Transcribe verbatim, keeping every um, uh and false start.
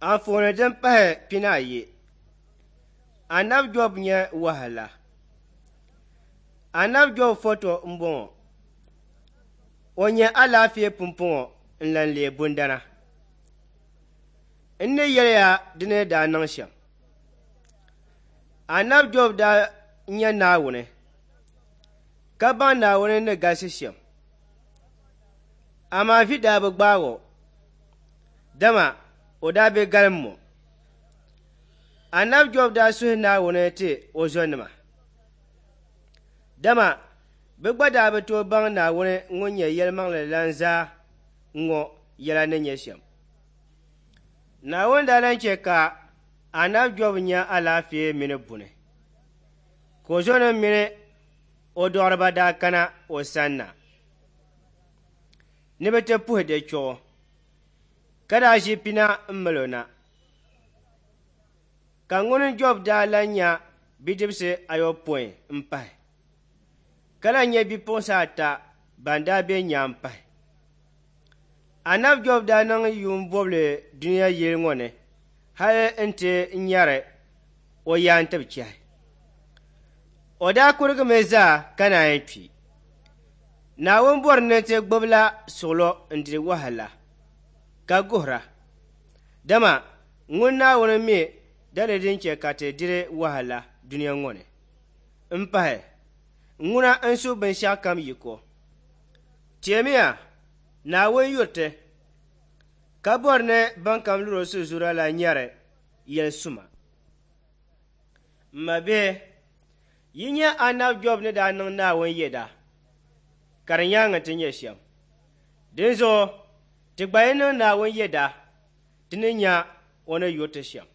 Anfooni din pahi pinaayi. Anabi Job nyɛ wahala. Anabi Job foto m-bɔŋɔ. O nyɛ alaafee pumpɔŋɔ n-lan leei bundana. N ni yɛli ya di ni daa niŋ shɛm. Anabi Job daa nya Naawuni, ka baŋ Naawuni ni galisi shɛm. Amaa vi daa bi gbaag o, dama o daa be galim mɔ. Anabi Job daa suhi Naawuni ti o zɔnima, dama bɛ gba daa bi tooi baŋ Naawuni ŋun nyɛ yɛlimaŋli lan zaa ŋɔ yɛla ni nyɛ shɛm. Naawuni daa lan chɛ ka Anabi Job nya alaafee mini buni, ka o zɔnim mini o dɔɣiriba daa kana o sanna ni bɛ ti puhi di chuɣu, ka daa ʒi pina m-mali o na. Ka ŋuni Job daa lan nya bidibisi ayopɔin m-pahi, ka lan nya bipuɣinsi ata ban daa be nyaa m-pahi. Anabi Job daa niŋ yuun bɔbili dunia yili ŋɔ ni hali nti nyari o yaantibi chɛhi. O daa kurigimi zaa ka naan kpi. Naawuni bɔri ni ti gbubila suɣulo n-diri wahala ka guhira, dama ŋun Naawuni mi daliri din chɛ ka ti diri wahala dunia ŋɔ ni. M-pahi, ŋuna n-su binshɛɣukam yiko. Teemiya, Naawuni yuri ti, ka bɔri ni bɛnkam luri o sizuura la nyari yɛl suma. M mabihi, yi nya Anabi Job ni daa niŋ Naawuni yɛda, ka di nyaaŋa ti nyɛ shɛm. Dinzuɣu ti gba yi niŋ Naawuni yɛda, ti ni nya o ni yuri ti shɛm.